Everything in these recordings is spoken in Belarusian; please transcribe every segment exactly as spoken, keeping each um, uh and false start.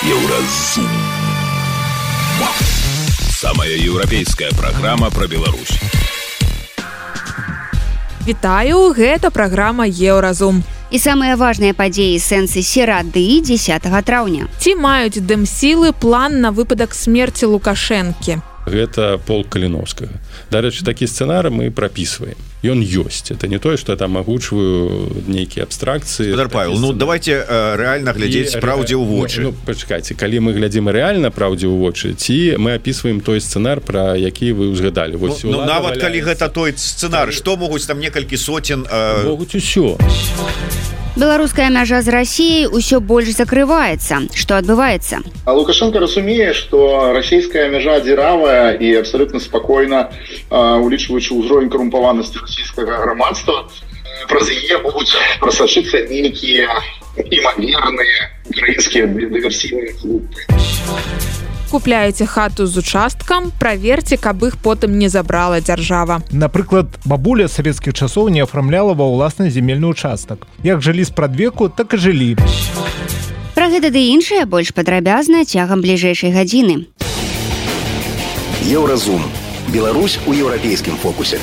Еўразум. Самая еўрапейская праграма пра Беларусь. Вітаю, гэта праграма Еўразум. І самыя важныя падзеі сэнсы серады дзесятага траўня. Ці маюць дэмсілы план на выпадак смерці Лукашэнкі? Гэта полк Каліновскага. Дарэчы, такі сцэнар мы прапісваем. Ён ёсць. Это не тое, што я там агучваю нейкія абстракцыі. Спадар Павел, ну давайте э, рэальна глядзець праўдзе ў вочы. Ну, ну, пачакайце, калі мы глядзім рэальна праўдзе ў вочы, ці мы апісваем той сцэнар, пра які вы ўзгадалі. Вось, ну, ну нават валяецца... калі гэта той сцэнар, што могуць там некалькі соцен... Э... Могуць усё. Беларуская мяжа з Расіяй усё больш закрываецца. Што адбываецца? А Лукашенко разумее, што расійская мяжа дзіравая і абсалютна спакойна, улічваючы ўзровень карумпаванасці расійскага грамадства, праз яе могуць прасачыцца нейкія імаверныя украінскія дыверсійныя групы. Купляеце хату з участкам, праверце, каб іх потым не забрала дзяржава. Напрыклад, бабуля савецкіх часоў не афармляла ва ўласны земельны участак. Як жылі спрадвеку, так і жылі. Пра гэта ды іншае больш падрабязна цягам бліжэйшай гадзіны. Еўразум. Беларусь у еўрапейскім фокусе.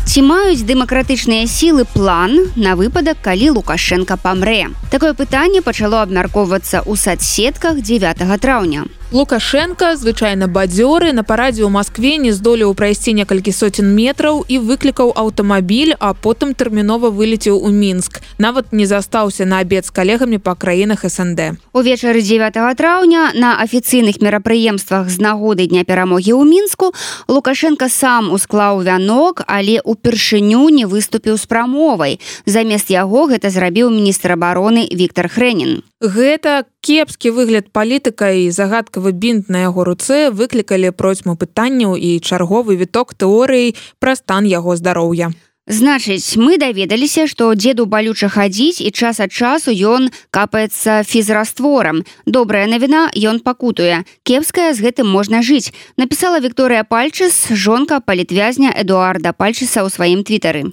Ці маюць дэмакратычныя сілы план на выпадак, калі Лукашенка памрэ? Такое пытанне пачало абмяркоўвацца ў сацсетках дзевятага траўня. Лукашенка, звычайна бадзёры, на парадзе ў Маскве не здолеў прайсці некалькі соцен метраў і выклікаў аўтамабіль, а потым тэрмінова вылецеў у Мінск. Нават не застаўся на абед з калегамі па краінах эс эн дэ. Увечары дзевятага траўня на афіцыйных мерапрыемствах з нагоды Дня перамогі ў Мінску Лукашенка сам усклаў вянок, але упершыню не выступіў з прамовай. Замест яго гэта зрабіў міністр абароны Віктор Хрэнін. Гэта кепскі выгляд палітыка і загадкавы бінт на яго руцэ выклікалі процьму пытанняў і чарговы віток тэорыі пра стан яго здароўя. Значыць, мы даведаліся, што дзеду балюча хадзіць і час ад часу ён капаецца фізрастворам. Добрая навіна, ён пакутуе. Кепская, з гэтым можна жыць. Напісала Вікторыя Пальчыс, жонка палітвязня Эдуарда Пальчыса ў сваім твітары.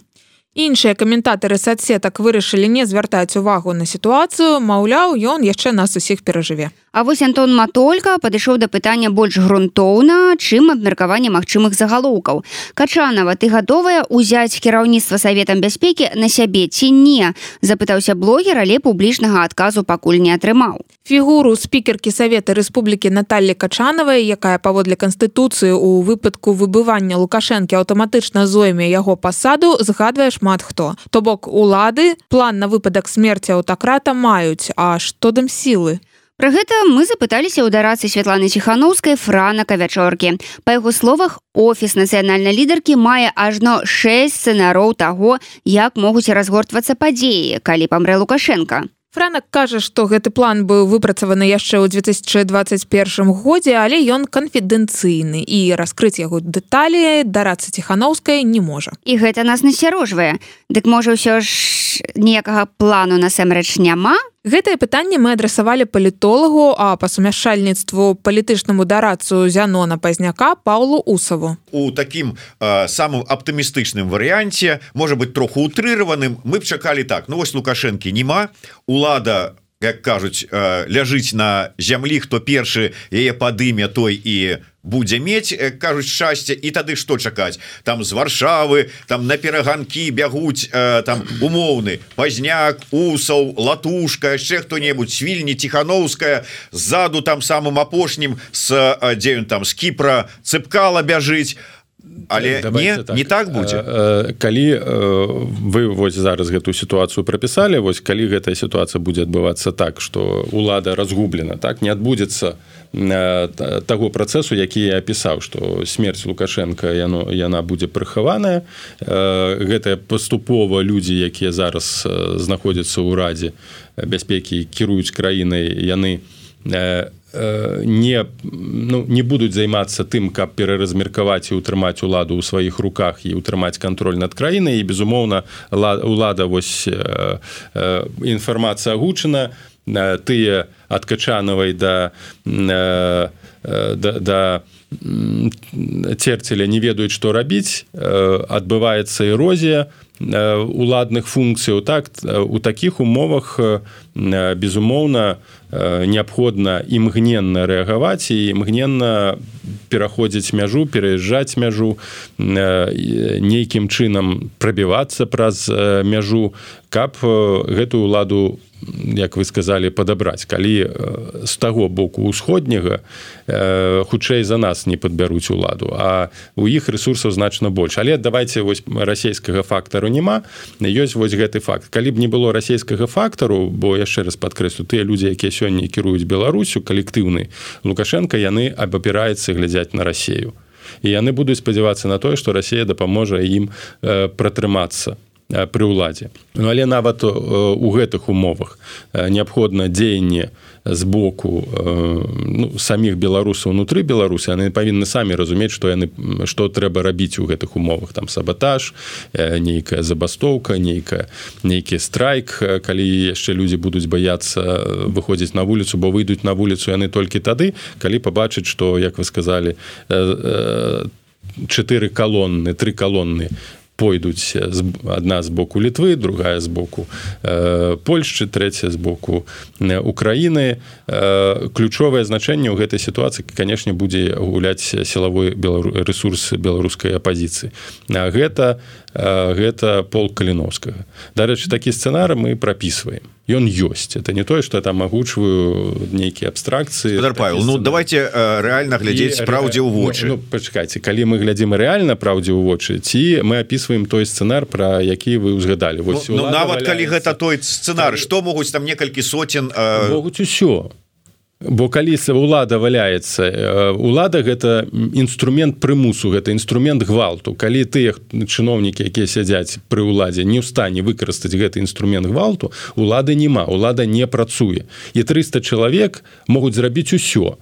Іншыя каментатары сацсетак вырашылі не звяртаць увагу на сітуацыю, маўляў, ён яшчэ нас усіх перажыве. А вось Антон Матолька падышоў да пытання больш грунтоўна, чым абмеркаванне магчымых загалоўкаў. Качанова, ты гатовая ўзяць кіраўніцтва Саветам бяспекі на сябе ці не? Запытаўся блогер, але публічнага адказу пакуль не атрымаў. Фігуру спікеркі Савета Рэспублікі Наталлі Качанавай, якая паводле Канстытуцыі ў выпадку выбывання Лукашэнкі аўтаматычна зойме яго пасаду, згадвае шмат хто. То бок улады план на выпадак смерці аўтакрата маюць, а што дэмсілы? Пра гэта мы запыталіся ў дарацы Святланы Ціханаўскай Франака Вячоркі. Па яго словах, офіс нацыянальнай лідаркі мае ажно шэсць сцэнароў таго, як могуць разгортвацца падзеі, калі памрэ Лукашенка. Франак кажа, што гэты план быў выпрацаваны яшчэ ў дзве тысячы дваццаць першым годзе, але ён канфідэнцыйны і раскрыць яго дэталі дараца Ціханаўскай не можа. І гэта нас насцярожвае. Дык можа ўсё ж ніякага плану насамрэч няма? Гэтае пытанне мы адрасавалі палітолагу, а па сумяшчальніцтву палітычнаму дарадцу Зянона Пазняка Паўлу Усаву. У такім э, самым аптымістычным варыянце, можа быць троху утрыраваным, мы б чакалі так: ну вось Лукашэнкі няма, улада, як кажуць, э, ляжыць на зямлі, хто першы яе падыме, той і будзе мець, кажуць, шчасце, і тады што чакаць? Там з Варшавы, там на пераганкі бягуць э, там умоўны Пазняк, Усаў, Латушка, яшчэ хто-небудзь, Свільні, Ціханаўская, ззаду там самым апошнім з, дзе ён там, з Кіпра Цыпкала бяжыць. Але не, так. не так будзе. Калі вы вось зараз гэтую сітуацыю прапісалі, вось калі гэтая сітуацыя будзе адбывацца так, што улада разгублена, так, не адбудзецца таго працэсу, які я апісаў, што смерць Лукашенка яно, яна будзе прыхаваная. Гэта паступова людзі, якія зараз знаходзяцца ў Радзе бяспекі, кіруюць краінай, яны не, ну, не будуць займацца тым, каб пераразмеркаваць і ўтрымаць уладу ў сваіх руках і ўтрымаць кантроль над краінай. І, безумоўна, улада, вось, інфармацыя агучана, тыя ад Качанавай да, да, да Церцеля не ведаюць, што рабіць, адбываецца эрозія, уладных функцыяў, так у такіх умовах безумоўна неабходна імгненна рэагаваць і імгненна пераходзіць мяжу, пераязджаць мяжу, нейкім чынам прабівацца праз мяжу, каб гэтую ўладу, як вы сказалі, падабраць. Калі з таго боку ўсходняга хутчэй за нас не падбяруць уладу, а у іх рэсурсаў значна больш. Але давайте вось расійскага фактару няма, ёсць вось гэты факт. Калі б не было расійскага фактару, бо яшчэ раз падкрэслю, тыя людзі, якія сёння кіруюць Беларусю, калектыўны Лукашенко, яны абапіраюцца глядзяць на Расію. І яны будуць спадзявацца на тое, што Расія дапаможа ім пратрымацца пры ўладзе. Ну, але нават у гэтых умовах неабходна дзеянне з боку ну, саміх беларусаў унутры Беларусі, яны павінны самі разумець, што яны што трэба рабіць у гэтых умовах, там сабатаж, нейкая забастоўка, нейкая нейкі страйк, калі яшчэ людзі будуць баяцца выходзіць на вуліцу, бо выйдуць на вуліцу яны толькі тады, калі пабачаць, што, як вы сказалі, чатыры калонны, тры калонны пойдуць адна з боку Літвы, другая з боку э, Польшчы, трэця з боку Украіны. Э, ключовае значэнне ў гэтай сітуацыі, канешне, будзе гуляць сілавой белару... рэсурс беларускай апазіцыі. А гэта, э, гэта полк Каліновскага. Дарэчы, такі сцэнар мы прапісваем. Ён ёсць. Это не тое, што я там агучваю нейкія абстракцыі. Спадар Павел, ну давайте э, рэальна глядзець і, праўдзе ў вочы. Ну, ну, пачакайце, калі мы глядзім рэальна праўдзе ў вочы, ці мы апісваем той сцэнар, пра які вы ўзгадалі. Вось, ну, ну, нават валяецца... калі гэта той сцэнар, што могуць там некалькі соцен... Э... Могуць усё. Бо калі ўлада валяецца, улада гэта інструмент прымусу, гэта інструмент гвалту. Калі тыя чыноўнікі, якія сядзяць пры ўладзе, не ў стане выкарыстаць гэты інструмент гвалту, улады няма, улада не працуе. І трыста чалавек могуць зрабіць усё.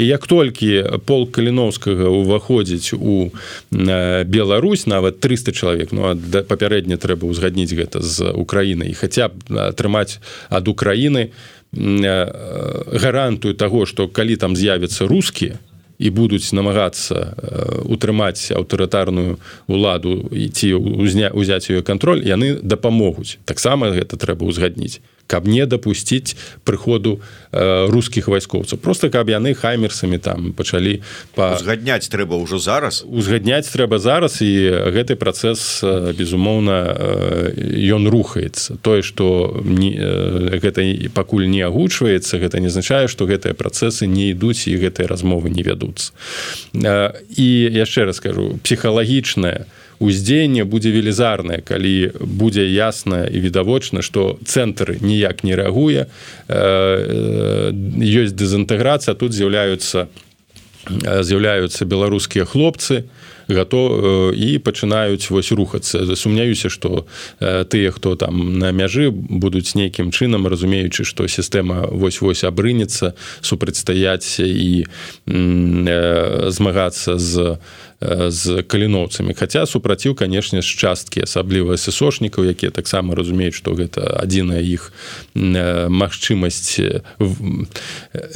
І як толькі полк Каліновскага ўваходзіць у Беларусь, нават трыста чалавек, ну, папярэдне трэба ўзгадніць гэта з Украінай, і хаця б атрымаць ад Украіны гарантую таго, што калі там з'явяцца рускія і будуць намагацца утрымаць аўтарытарную ўладу і ці ўзяць яе кантроль, яны дапамогуць. Таксама гэта трэба ўзгадніць, каб не дапусціць прыходу э, рускіх вайскоўцаў. Просто каб яны хаймерсамі там пачалі... Па... Узгадняць трэба ўжо зараз? Узгадняць трэба зараз, і гэты працэс, безумоўна, ён рухаецца. Тое, што не, гэта пакуль не агучваецца, гэта не азначае, што гэтыя працэсы не ідуць і гэтыя размовы не вядуцца. І яшчэ раз скажу, псіхалагічнае уздзеянне будзе велізарнае, калі будзе ясна і відавочна, што цэнтр ніяк не рэагуе, ёсць дэзінтэграцыя, тут з'яўляюцца з'яўляюцца беларускія хлопцы, гато і пачынаюць вось рухацца. Сумняюся, што тыя, хто там на мяжы, будуць нейкім чынам, разумеючы, што сістэма вось-вось абрынецца, супрацьстаяць і змагацца з з каліноўцамі. Хаця супраціў, канешне, з часткі, асабліва эсэсошнікаў, якія таксама разумеюць, што гэта адзіная іх магчымасць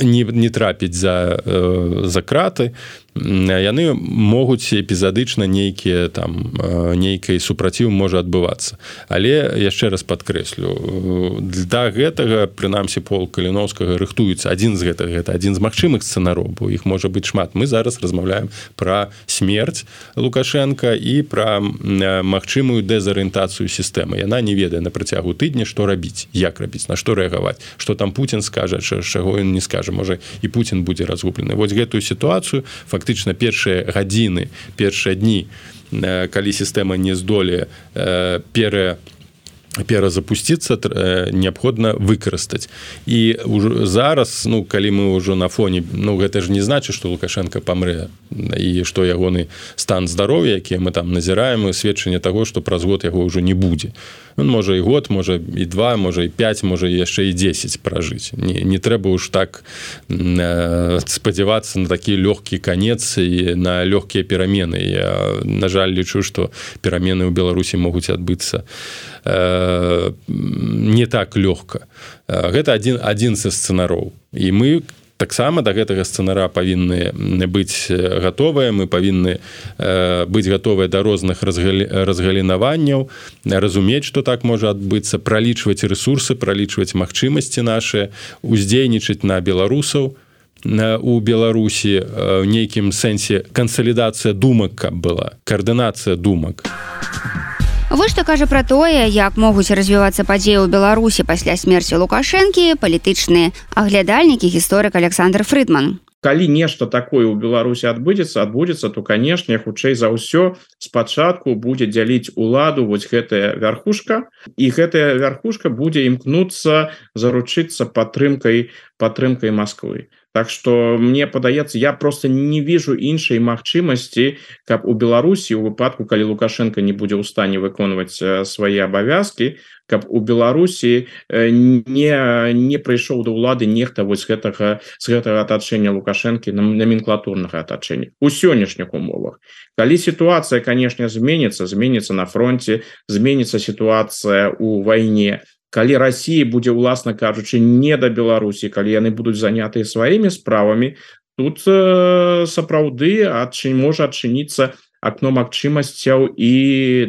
не, не трапіць за, за краты. Яны могуць эпізадычна нейкія там нейкай супраціў можа адбывацца. Але яшчэ раз падкрэслю, для гэтага прынамсі полк Каліновскага рыхтуецца. Адзін з гэтага, гэта адзін з магчымых сцэнароў, бо іх можа быць шмат. Мы зараз размаўляем пра смерць Лукашенка і пра магчымую дэзарыентацыю сістэмы. Яна не ведае на працягу тыдня, што рабіць, як рабіць, на што рэагаваць, што там Путін скажа, чаго ён не скажа, можа і Путін будзе разгублены. Вось гэтую сітуацыю фактычна першыя гадзіны, першыя дні, калі сістэма не здолее пере перазапусціцца, неабходна выкарыстаць. І зараз, ну, калі мы ўжо на фоне, ну, гэта ж не значыць, што Лукашенко памрэ, і што ягоны стан здароўя, які мы там назіраем, сведчанне таго, што праз год яго ўжо не будзе. Он можа і год, можа і два, можа і пяць, можа яшчэ і дзесяць пражыць. Не, не трэба ўж так э, спадзявацца на такі лёгкі канец і на лёгкія перамены. Я, на жаль, лічу, што перамены ў Беларусі могуць адбыцца э, не так лёгка. Гэта адзін, адзін са сцэнароў. І мы таксама да гэтага сцэнара павінны быць гатовыя, мы павінны быць гатовыя да розных разгалінаванняў, разумець, што так можа адбыцца, пралічваць рэсурсы, пралічваць магчымасці нашыя, уздзейнічаць на беларусаў у Беларусі, в нейкім сэнсе кансалідацыя думак, каб была, каардынацыя думак. Вось што кажа пра тое, як могуць развівацца падзеі ў Беларусі пасля смерці Лукашэнкі палітычны аглядальнік і гісторык Александр Фрыдман. Калі нешта такое ў Беларусі адбудзецца, адбудзецца, то, канешне, хутчэй за ўсё спачатку будзе дзяліць уладу вось гэтая вярхушка, і гэтая вярхушка будзе імкнуцца заручыцца падтрымкай падтрымкай Масквы. Так что мне падаецца, я просто не вижу іншай магчымасці, каб у Беларусі у выпадку, калі Лукашенко не будзе ў стане выконваць свае абавязкі, каб у Беларусі не, не прыйшоў да ўлады нехта вось гэтага, з гэтага атачэння Лукашэнкі, номенклатурнага атачэння у сённяшніх умовах. Калі сітуацыя, канешне, зменіцца, зменіцца на фронте, зменіцца сітуацыя у вайне, калі Россия будзе, уласна кажучы, не да Беларусі, калі яны будуць занятыя сваімі справамі, тут э, сапраўды адчын, можа адчыніцца акно магчымасцяў і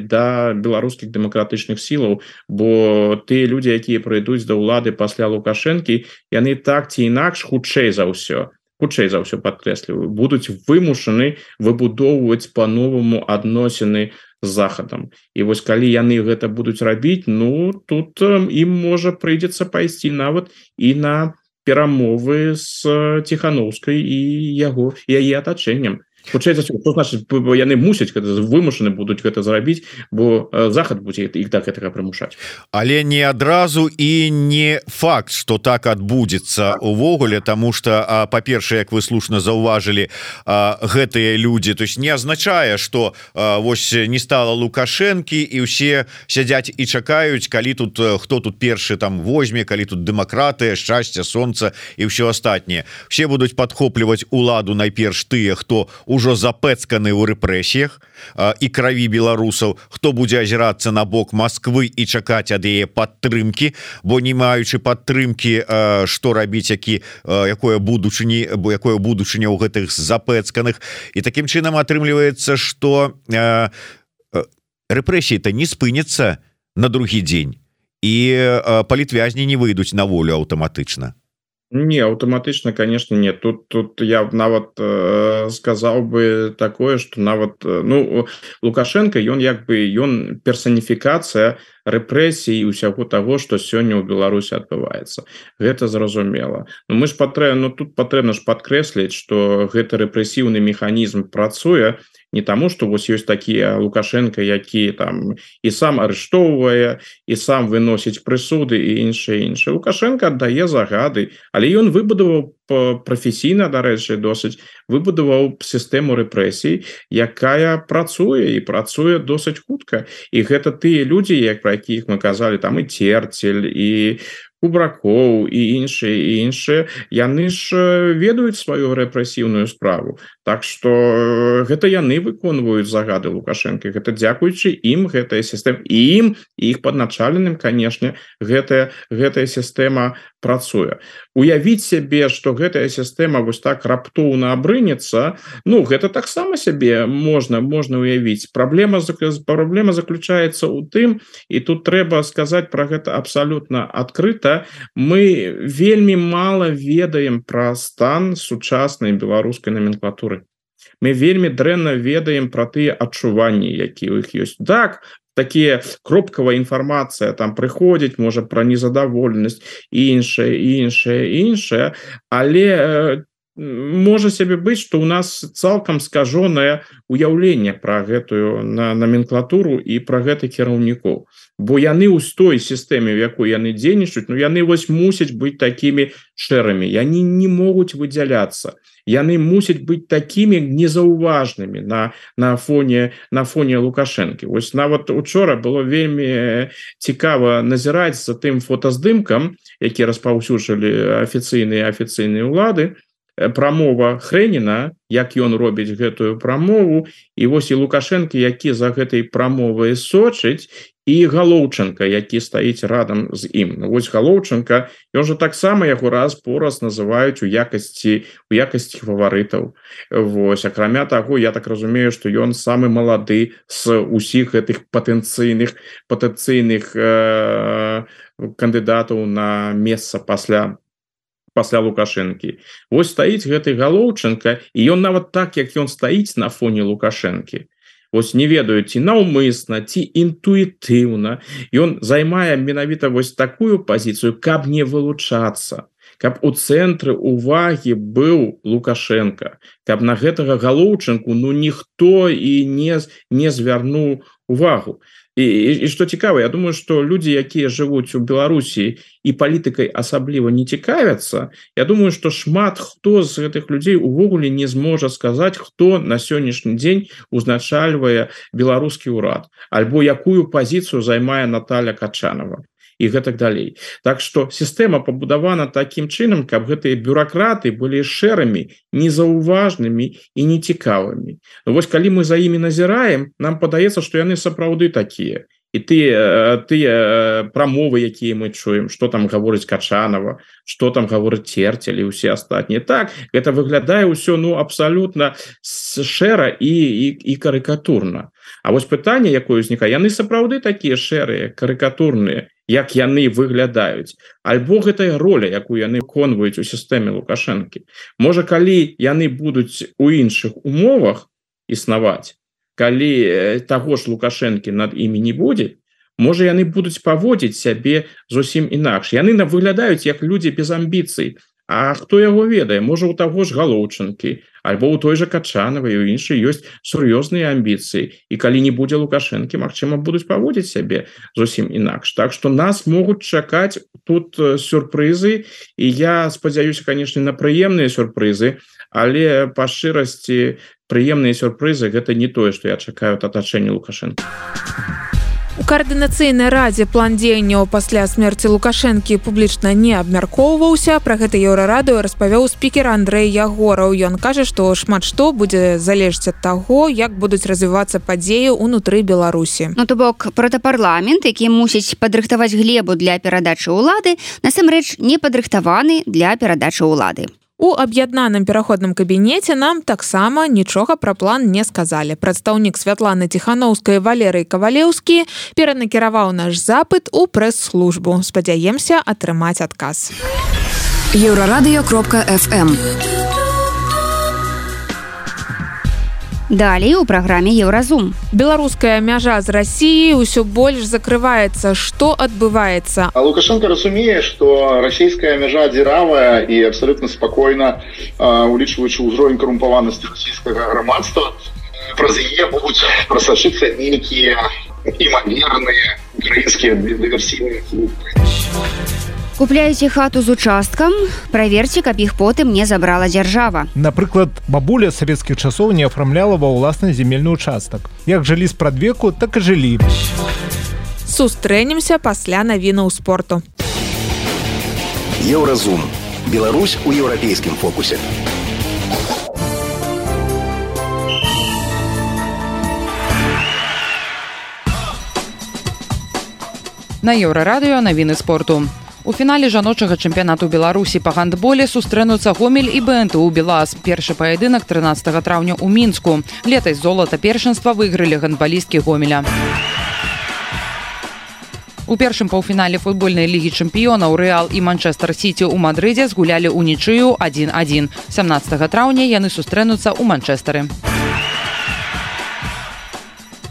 да беларускіх дэмакратычных сілаў, бо тыя людзі, якія прыйдуць да ўлады пасля Лукашэнкі, яны так ці інакш хутчэй за ўсё, хутчэй за ўсё падкрэсліваю, будуць вымушаны выбудоўваць па-новаму адносіны з захадам. І вось калі яны гэта будуць рабіць, ну тут ім можа прыйдзецца пайсці нават і на перамовы з Ціхановскай і яго і яе атачэннем. Хутчэй за ўсё, што значыць, яны мусяць гэта, вымушаны будуць гэта зрабіць, бо захад будзе іх да гэтага прымушаць. Але не адразу і не факт, што так адбудзецца увогуле, таму што, па-першае, як вы слушна заўважылі, гэтыя людзі, то есть не азначае, што вось не стала Лукашэнкі і ўсе сядзяць і чакаюць, калі тут хто тут першы там возьме, калі тут дэмакратыя, шчасце, сонца і ўсё астатняе. Все будуць падхопліваць уладу найперш тыя, хто ужо запэцканы ў рэпрэсіях і краві беларусаў, хто будзе азірацца на бок Масквы і чакаць ад яе падтрымкі, бо не маючы падтрымкі, што рабіць, які, якое будучыні, бо якое будучыня ў гэтых запэцканых. І такім чынам атрымліваецца, што рэпрэсіі-то не спыняцца на другі дзень, і палітвязні не выйдуць на волю аўтаматычна. Не, аўтаматычна, конечно, нет. Тут, тут я нават э, сказаў бы такое, что нават, ну, Лукашенко, ён як бы, ён персоніфікацыя рэпрэсій і ўсяго таго, што сёння ў Беларусі адбываецца. Гэта зразумела. Ну, мы ж патрэбна, ну, тут патрэбна ж падкрэсліць, што гэты рэпрэсіўны механізм працуе не таму, што вось ёсць такія Лукашенко, які там і сам арыштоўвае, і сам выносіць прысуды і іншае іншае. Лукашенко аддае загады, але ён выбудаваў прафесійна, дарэчы, досыць, выбудаваў сістэму рэпрэсій, якая працуе і працуе досыць хутка. І гэта тыя людзі, як пра якіх мы казалі, там і Церцель, і Кубракоў і іншыя і іншыя, яны ж ведаюць сваю рэпрэсіўную справу. Так што гэта яны выконваюць загады Лукашэнкі. Гэта дзякуючы ім гэтая сістэма, і ім, і іх падначаленым, канешне, гэтая, гэтая сістэма працуе. Уявіць сябе, што гэтая сістэма вось так раптоўна абрынецца, ну, гэта таксама сябе можна, можна уявіць. Праблема, праблема заключаецца ў тым, і тут трэба сказаць пра гэта абсалютна адкрыта, мы вельмі мала ведаем пра стан сучаснай беларускай номенклатуры. Мы вельмі дрэнна ведаем пра тыя адчуванні, якія ў іх ёсць. Так, такія кропкавая інфармацыя там прыходзіць, можа, пра незадаволенасць, іншае, іншае, іншае, але э, можа сябе быць, што ў нас цалкам скажонае уяўленне пра гэтую на номенклатуру і пра гэтых кіраўнікоў. Бо яны ў той сістэме, в якой яны дзейнічаюць, ну яны вось мусяць быць такімі шэрымі, яны не могуць выдзяляцца. Яны мусяць быць такімі незаўважнымі на, на фоне, на фоне Лукашэнкі. Вось нават учора было вельмі цікава назіраць за тым фотаздымкам, які распаўсюджвалі афіцыйныя афіцыйныя ўлады, прамова Хрэніна, як ён робіць гэтую прамову, і вось і Лукашенко, які за гэтай прамовай сочыць, і Галоўченко, які стаіць радам з ім. Ну, вось Галоўченко, ён жа таксама яго раз по раз называюць у якасці у якасці фаварытаў. Вось, акрамя таго, я так разумею, што ён самы малады з усіх гэтых патэнцыйных патэнцыйных э, кандыдатаў на месца пасля пасля Лукашэнкі. Вось стаіць гэты Галоўченко, і ён нават так, як ён стаіць на фоне Лукашэнкі. Вось не ведаю, ці наўмысна, ці інтуітыўна. Ён займае менавіта вось такую пазіцыю, каб не вылучацца, каб у цэнтры увагі быў Лукашенко, каб на гэтага Галоўченку ну ніхто і не, не звярнуў увагу. І, і, і што цікава, я думаю, што людзі, якія жывуць у Беларусі і палітыкай асабліва не цікавяцца, я думаю, што шмат хто з гэтых людзей увогуле не зможа сказаць, хто на сённяшні дзень узначальвае беларускі ўрад, альбо якую пазіцыю займае Наталья Качанова. І гэтак далей. Так што сістэма пабудавана такім чынам, каб гэтыя бюракраты былі шэрымі, незаўважнымі і нецікавымі. Ну, вось калі мы за імі назіраем, нам падаецца, што яны сапраўды такія. І тыя, тыя прамовы, якія мы чуем, што там гаворыць Качанова, што там гаворыць Церцель і ўсе астатнія. Так, гэта выглядае ўсё ну, абсалютна шэра і, і, і карыкатурна. А вось пытанне, якое ўзнікае, яны сапраўды такія шэрыя, карыкатурныя, як яны выглядаюць, альбо гэтая роля, якую яны выконваюць у сістэме Лукашэнкі. Можа, калі яны будуць у іншых умовах існаваць, калі таго ж Лукашэнкі над імі не будзе, можа, яны будуць паводзіць сябе зусім інакш. Яны выглядаюць як людзі без амбіцый. А хто яго ведае? Можа, у таго ж Галоўченкі, альбо у той жа Качанавай, у іншай ёсць сур'ёзныя амбіцыі. І калі не будзе Лукашэнкі, магчыма, будуць паводзіць сябе зусім інакш. Так што нас могуць чакаць тут сюрпрызы, і я спадзяюся, канешне, на прыемныя сюрпрызы, але па шчырасці прыемныя сюрпрызы гэта не тое, што я чакаю ад атачэння Лукашэнкі. У каардынацыйнай радзе план дзеянняў пасля смерці Лукашэнкі публічна не абмяркоўваўся. Пра гэта Еўрарадыё распавёў спікер Андрэй Ягораў. Ён кажа, што шмат што будзе залежаць ад таго, як будуць развівацца падзеі ўнутры Беларусі. Ну, то бок, протапарламент, які мусіць падрыхтаваць глебу для перадачы ўлады, насамрэч не падрыхтаваны для перадачы ўлады. У аб'яднаным пераходным кабінеце нам таксама нічога пра план не сказалі. Прадстаўнік Святланы Ціханаўскай Валерый Кавалеўскі перанакіраваў наш запыт у прэс-службу. Спадзяемся атрымаць адказ. еўрарадыё кропка эф эм. Далей у праграме Еўразум. Беларуская мяжа з Расіяй усё больш закрываецца. Што адбываецца? А Лукашенко разумее, што расійская мяжа дзіравая і абсалютна спакойна, улічваючы ўзровень карумпаванасці расійскага грамадства, праз яе могуць прасачыцца нейкія імаверныя украінскія дыверсійныя групы. Купляеце хату з участкам, праверце, каб іх потым не забрала дзяржава. Напрыклад, бабуля савецкіх часоў не афармляла ва ўласны земельны участак. Як жылі спрадвеку, так і жылі. Сустрэнемся пасля навінаў спорту. Еўразум. Беларусь у еўрапейскім фокусе. На Еўрарадыё навіны спорту. У фінале жаночага чэмпіянату Беларусі па гандболе сустрэнуцца Гомель і бэ эн тэ у Белаз. Першы паядынак трынаццатага траўня ў Мінску. Летась золата першынства выйгралі гандбалісткі Гомеля. У першым паўфінале футбольнай лігі чэмпіёнаў Рэал і Манчэстэр Сіці ў Мадрыдзе згулялі ўнічыю адзін адзін. сямнаццатага траўня яны сустрэнуцца ў Манчэстэры.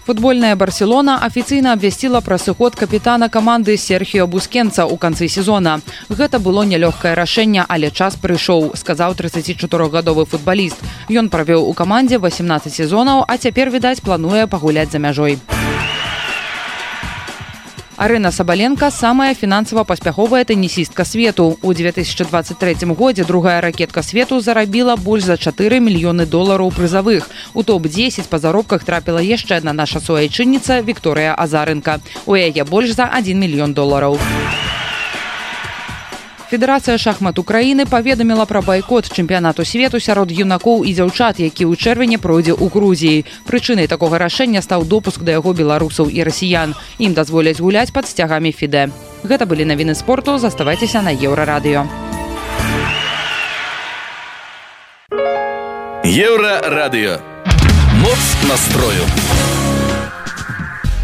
Футбольная Барселона афіцыйна абвясціла пра сыход капітана каманды Серхіо Бускенца ў канцы сезона. Гэта было нялёгкае рашэнне, але час прыйшоў, сказаў трыццацічатырохгадовы футбаліст. Ён правёў у камандзе васемнаццаць сезонаў, а цяпер, відаць, плануе пагуляць за мяжой. Арына Сабаленка – самая фінансава паспяховая тэнісістка свету. У две тысячы дваццаць трэцім годзе другая ракетка свету зарабіла больш за чатыры мільёны долараў прызавых. У топ дзесяць па заробках трапіла яшчэ адна наша суайчынніца Вікторыя Азарынка. У яе больш за адзін мільён долараў. Федэрацыя шахмат Украіны паведаміла пра байкот чэмпіянату свету сярод юнакоў і дзяўчат, які ў чэрвені пройдзе ў Грузіі. Прычынай такога рашэння стаў допуск да яго беларусаў і расіян. Ім дазволяць гуляць пад сцягамі ФІДЭ. Гэта былі навіны спорту, заставайцеся на Еўрарадыё. Еўрарадыё. Моц настрою.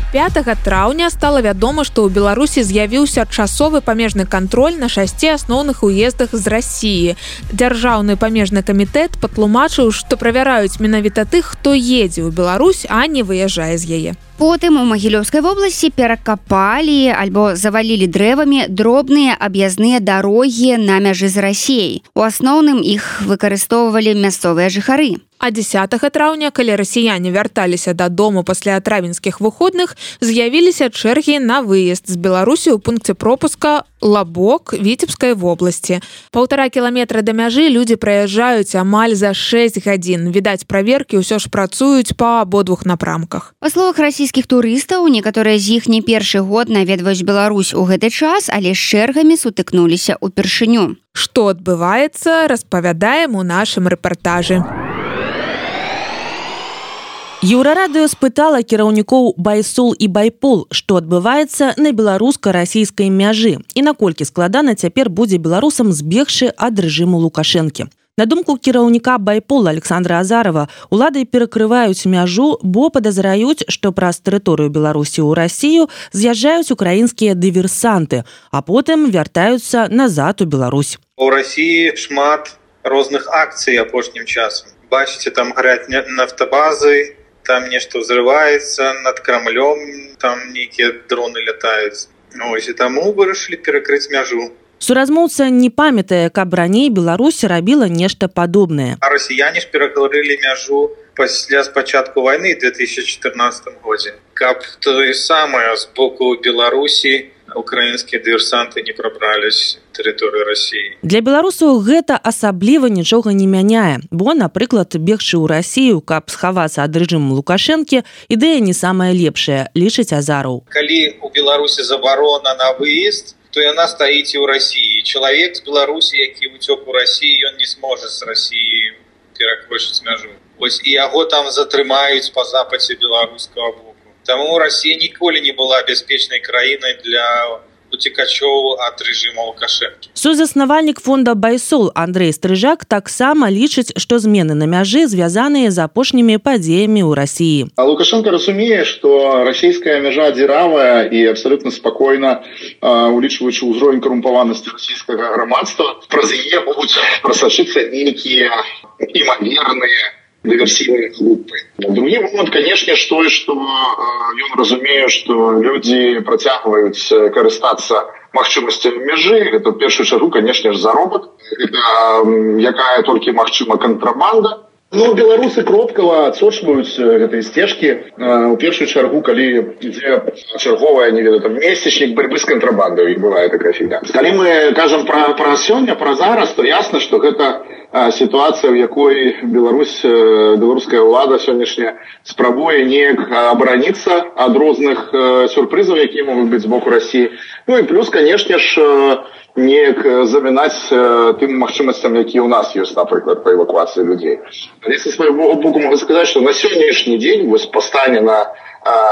пятага траўня стала вядома, што ў Беларусі з'явіўся часовы памежны кантроль на шасці асноўных уездах з Расіі. Дзяржаўны памежны камітэт патлумачыў, што правяраюць менавіта тых, хто едзе ў Беларусь, а не выязджае з яе. Потым у Магілёўскай вобласці перакапалі альбо завалілі дрэвамі дробныя аб'язныя дарогі на мяжы з Расіяй. У асноўным іх выкарыстоўвалі мясцовыя жыхары. А дзесятага траўня, калі расіяне вярталіся дадому пасля травеньскіх выходных, з'явіліся чэргі на выезд з Беларусі ў пункце пропуска Лабок Віцебскай вобласці. Паўтара кіламетра да мяжы людзі праязджаюць амаль за шэсць гадзін. Відаць, праверкі ўсё ж працуюць па абодвух напрамках. Па словах расійскіх турыстаў, некаторыя з іх не першы год наведваюць Беларусь у гэты час, але з чэргамі сутыкнуліся ўпершыню. Што адбываецца, распавядаем у нашым рэпартажы. Еўрарадыё спытала кіраўнікоў Байсол і Байпол, што адбываецца на беларуска-расійскай мяжы і наколькі складана цяпер будзе беларусам збегчы ад рэжыму Лукашэнкі. На думку кіраўніка Байпола Александра Азарова, улады перакрываюць мяжу, бо падазраюць, што праз тэрыторыю Беларусі ў Расію з'язджаюць украінскія дыверсанты, а потым вяртаюцца назад у Беларусь. У Расіі шмат розных акцый апошнім часам. Бачыце, там гараць нафтабазы, там нешта ўзрываецца над Крамлём, там нейкія дроны лятаюць. Ось, і таму вырашылі перакрыць мяжу. Суразмоўца не памятае, каб раней Беларусь рабіла нешта падобнае. А расіяне ж перакрылі мяжу пасля спачатку вайны ў две тысячы чатырнаццатым годзе. Каб тое самае з боку Беларусі украінскія дыверсанты не прабрались тэрыторыю Расіі. Для беларусаў гэта асабліва нічога не мяняе, бо, напрыклад, бегчы ў Расію, каб схавацца ад рэжыму Лукашэнкі, ідэя не самая лепшая, лічыць Азаров. Калі у Беларусі забарона на выезд, то яна стаіць і ў Расіі. Чалавек з Беларусі, які ўцёк у Расіі, ён не зможа з Расіі перакрочыць мяжу. Вось і яго там затрымаюць па запасе беларускага боку. Таму Расія ніколі не была бяспечнай краінай для уцекачоў ад рэжыма Лукашэнкі. Сузаснавальнік фонда Байсол Андрей Стрыжак таксама лічыць, што змены на мяжы звязаныя з апошнімі падзеямі ў Расіі. Лукашенко разумее, што расійская мяжа дзіравая і абсалютна спакойна, улічваючы ўзровень карумпаванасці расійскага грамадства, праз яе могуць прасачыцца нейкія імаверныя диверсійныя групы. Другі момент, конечно, што і што ён разумее, што людзі працягваюць карыстацца магчымасцямі мяжы. Гэта ў першую чаргу, конечно ж, заробак. Гэта якая толькі магчыма кантрабанда. Ну, беларусы кропкава адсочваюць гэтыя сцежкі. У першую чаргу, калі ідзе чарговая, не ведаю, там, месячнік барьбы з кантрабандай, і бывае такая фігня. Калі мы кажам пра, пра сёння, пра зараз, то ясна, што гэта ситуация, в якой Беларусь, белорусская ўлада сённяшняя спрабуе неяк абараніцца ад розных сюрпрызаў, якія могуць быць з боку Расіі. Ну і плюс, конечно ж, неяк замінаць тым магчымасцям, якія ў нас ёсць, напрыклад, па эвакуацыі людзей. Але са свайго боку могу сказаць, што на сённяшні дзень, вось па стане на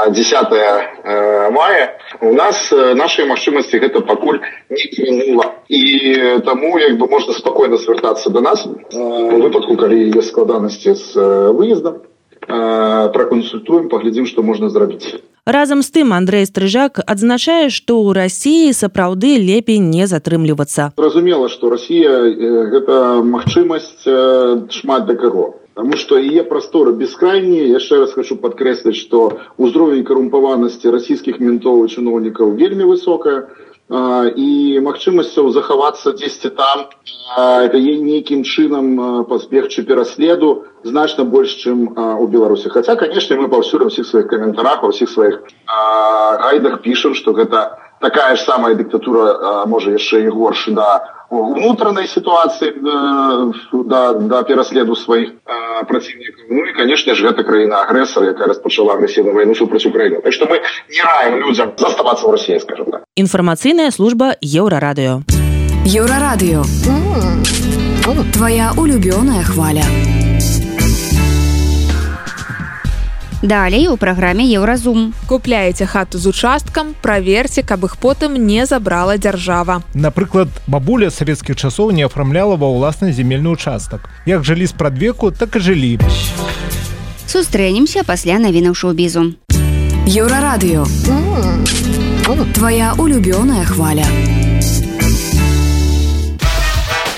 дзесятае мая, у нас нашыя магчымасці гэта пакуль не мінула. І таму як бы можна спакойна звяртацца да нас у выпадку, калі ёсць складанасці з выездам, пракансультуем, паглядзім, што можна зрабіць. Разам з тым Андрей Стрыжак адзначае, што ў Расіі сапраўды лепей не затрымлівацца. Зразумела, што Расія гэта магчымасць шмат да каго. Потому что яе прасторы бескрайнія. Яшчэ раз хочу падкрэсліць, што ўзровень карумпаванасці расійскіх ментоў і чыноўнікаў вельмі высокая, і магчымасцяў захавацца дзесьці там нейкім чынам пазбегчы пераследу значна больш, чым у Беларусі. Хаця, конечно, мы паўсюль у ўсіх сваіх каментарах, у ўсіх сваіх гайдах пішам, што гэта такая ж самая дыктатура, можа яшчэ і горш да унутранай ситуации, да, да пераследу сваіх э, противников. Ну и, конечно же, гэта краіна-агрэсар, якая распачала агрэсіўную вайну супраць Украіны. Так что мы не раім людзям заставацца ў Расіі, скажем так. Інфармацыйная служба Еўрарадыё. Еўрарадыё. Твоя улюбёная хваля. Далей у праграме Еўразум. Купляеце хату з участкам, праверце, каб іх потым не забрала дзяржава. Напрыклад, бабуля савецкіх часоў не афармляла ва ўласны земельны участак. Як жылі спрадвеку, так і жылі. Сустрэнемся пасля навінаў шоу-бізу. Еўрарадыё. Твоя улюбёная хваля.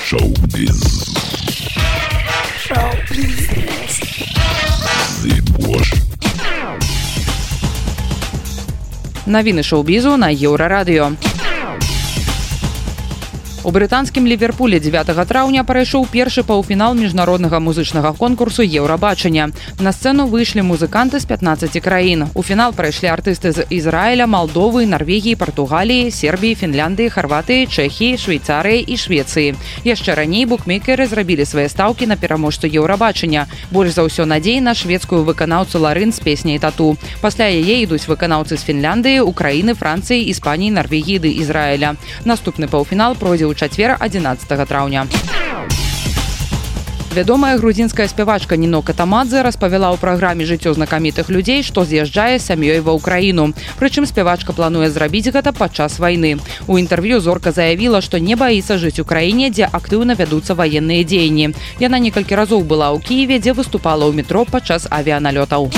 Шоу-біз. Шоу-біз. Навіны шоу-бізу на Еўрарадыё. У брытанскім Ліверпулі дзевятага траўня прайшоў першы паўфінал міжнароднага музычнага конкурсу Еўрабачання. На сцэну выйшлі музыканты з пятнаццаці краін. У фінал прайшлі артысты з Ізраіля, Малдовы, Нарвегіі, Партугаліі, Сербіі, Фінляндыі, Харватыі, Чэхіі, Швейцарыі і Швецыі. Яшчэ раней букмекеры зрабілі свае стаўкі на пераможцу Еўрабачання. Больш за ўсё надзей на шведскую выканаўцу Ларын з песняй «Тату». Пасля яе ідуць выканаўцы з Фінляндыі, Украіны, Францыі, Іспаніі, Нарвегіі ды Ізраіля. Наступны паўфінал пройдзе ў чацвер адзінаццатага траўня. Вядомая грузінская спявачка Ніно Катамадзе распавяла ў праграме «Жыццё знакамітых людзей», што з'язджае з сям'ёй ва ўкраіну. Прычым спявачка плануе зрабіць гэта падчас вайны. У інтэрв'ю зорка заявіла, што не баіцца жыць у краіне, дзе актыўна вядуцца ваенныя дзеянні. Яна некалькі разоў была ў Кіеве, дзе выступала ў метро падчас авіяналётаў.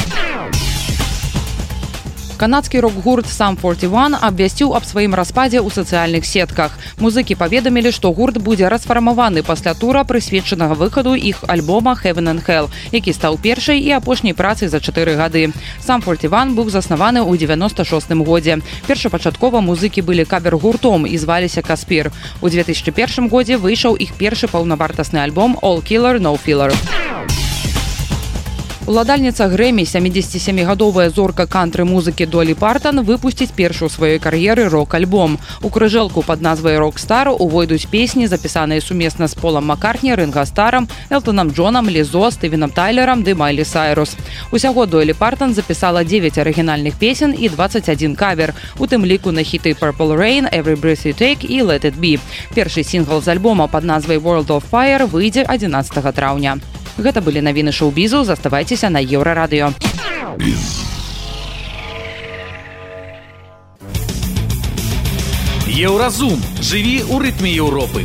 Канадскі рок-гурт Сам форти ван абвясціў аб сваім распадзе ў сацыяльных сетках. Музыкі паведамілі, што гурт будзе расфармаваны пасля тура, прысвечанага выхаду іх альбома «Heaven and Hell», які стаў першай і апошняй працай за чатыры гады. Сам форти ван быў заснаваны ў дзевяноста шостым годзе. Першапачаткова музыкі былі кавер-гуртом і зваліся «Каспір». У две тысячы першым годзе выйшаў іх першы паўнавартасны альбом «All Killer, No Filler». Уладальніца Грэмі, сямідзесяцісямігадовая зорка кантры-музыкі Долі Партан выпусціць першы ў сваёй кар'еры рок-альбом. У крыжэлку пад назвай «Рок-стар» увойдуць песні, запісаныя сумесна з Полам Маккартні, Ринго Старам, Элтонам Джонам, Лізо, Стывеном Тайлерам ды Майлі Сайрус. Усяго Долі Партан запісала дзевяць арыгінальных песен і дваццаць адзін кавер, у тым ліку на хіты «Purple Rain», «Every Breath You Take» і «Let It Be». Першы сінгл з альбома пад назвай «World of Fire» выйдзе адзінаццатага траўня. Гэта былі навіны шоу-бізу, заставайцеся на Еўрарадыё. Еўразум. Жыві ў рытме Еўропы.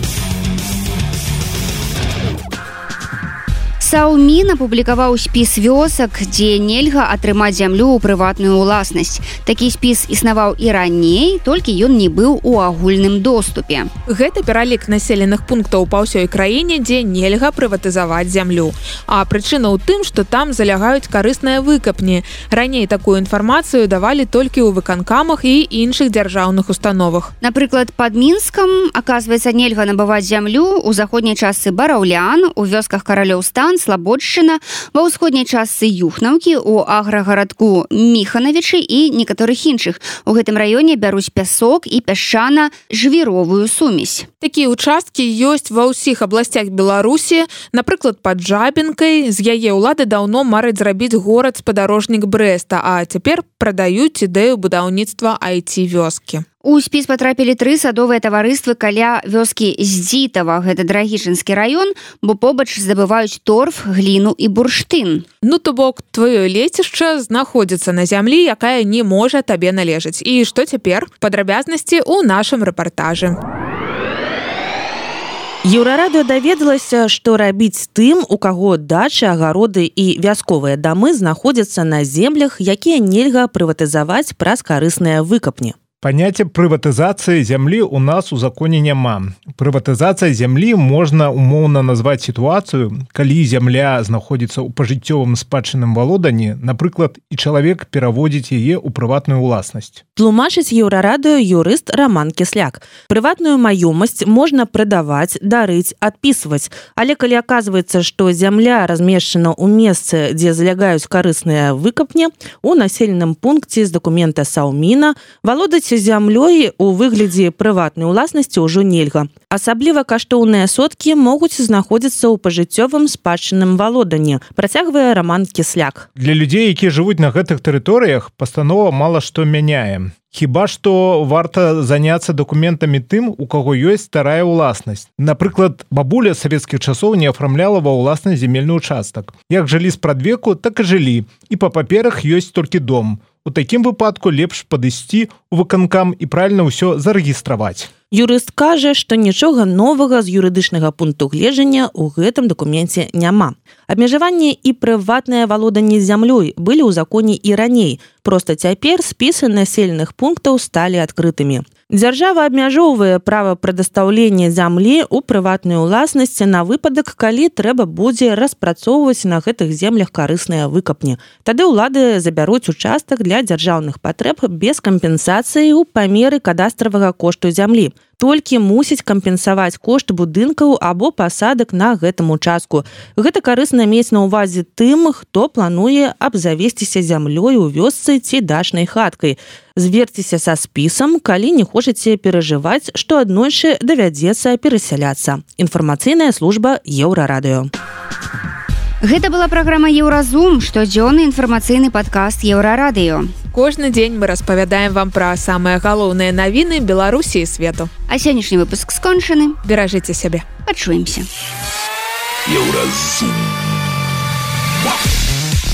Саумін апублікаваў спіс вёсак, дзе нельга атрымаць зямлю ў прыватную ўласнасць. Такі спіс існаваў і раней, толькі ён не быў у агульным доступе. Гэта пералік населеных пунктаў па ўсёй краіне, дзе нельга прыватызаваць зямлю. А прычына ў тым, што там залягаюць карысныя выкапні. Раней такую інфармацыю давалі толькі ў выканкамах і іншых дзяржаўных установах. Напрыклад, пад Мінскам, аказваецца, нельга набываць зямлю ў заходняй частцы Бараўлян, у вёсках Каралёўстан, Слабодшчына, ва ўсходняй частцы Юхнаўкі, у аграгарадку Міханавічы і некаторых іншых. У гэтым раёне бяруць пясок і пясчана-жвіровую сумесь. Такія ўчасткі ёсць ва ўсіх абласцях Беларусі, напрыклад, пад Жабінкай. З яе ўлады даўно мараць зрабіць горад-спадарожнік Брэста, а цяпер прадаюць ідэю будаўніцтва ай ти-вёскі. У спіс патрапілі тры садовыя таварыствы каля вёскі Здзітава, гэта Драгічынскі раён, бо побач здабываюць торф, гліну і бурштын. Ну, то бок, твоё лецішча знаходзіцца на зямлі, якая не можа табе належаць. І што цяпер? Падрабязнасці ў нашым рэпартажы. Еўрарадыё даведалася, што рабіць тым, у каго дачы, агароды і вясковыя дамы знаходзяцца на землях, якія нельга прыватызаваць праз карысныя выкапні. Паняцце прыватызацыі зямлі ў нас у законе няма. Прыватызацыя зямлі можна умоўна назваць сітуацыю, калі зямля знаходзіцца ў пажыццёвым спадчынным валоданні, напрыклад, і чалавек пераводзіць яе ў прыватную ўласнасць. Тлумачыць Еўрарадыё юрыст Раман Кісляк. Прыватную маёмасць можна прадаваць, дарыць, адпісваць. Але калі аказваецца, што зямля размешчана ў месцы, дзе залягаюць карысныя выкапні, у населеным пункце з дакумента Сауміна валодаць карыстацца зямлёй у выглядзе прыватнай уласнасці ўжо нельга. Асабліва каштоўныя соткі могуць знаходзіцца ў пажыццёвым спадчынным валоданні, працягвае Роман Кісляк. Для людзей, якія жывуць на гэтых тэрыторыях, пастанова мала што мяняе. Хіба што варта заняцца дакументамі тым, у каго ёсць старая ўласнасць. Напрыклад, бабуля савецкіх часоў не афармляла ва ўласнасць зямельны ўчастак. Як жылі спрадвеку, так і жылі, і па паперах ёсць толькі дом. У такім выпадку лепш падысці ў выканкам і правільна ўсё зарэгістраваць. Юрыст кажа, што нічога новага з юрыдычнага пункту гледжання ў гэтым дакуменце няма. Абмежаванне і прыватнае валоданне зямлёй былі ў законе і раней, проста цяпер спісы населеных пунктаў сталі адкрытымі. Дзяржава абмяжоўвае права прадастаўлення зямлі ў прыватнай уласнасці на выпадак, калі трэба будзе распрацоўваць на гэтых землях карысныя выкапні. Тады ўлады забяруць участак для дзяржаўных патрэб без кампенсацыі ў памеры кадастравага кошту зямлі. Толькі мусіць кампенсаваць кошт будынкаў або пасадак на гэтым участку. Гэта карысна мець на ўвазе тым, хто плануе абзавесціся зямлёй у вёсцы ці дачнай хаткай. Зверцеся са спісам, калі не хочаце перажываць, што аднойчы давядзецца перасяляцца. Інфармацыйная служба Еўрарадыё. Гэта была праграма Еўразум, штодзённы інфармацыйны падкаст Еўрарадыё. Кожны дзень мы распавядаем вам пра самыя галоўныя навіны Беларусі і свету. А сённяшні выпуск скончаны. Беражыце сябе. Пачуемся. Еўразум.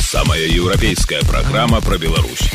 Самая еўрапейская праграма пра Беларусь.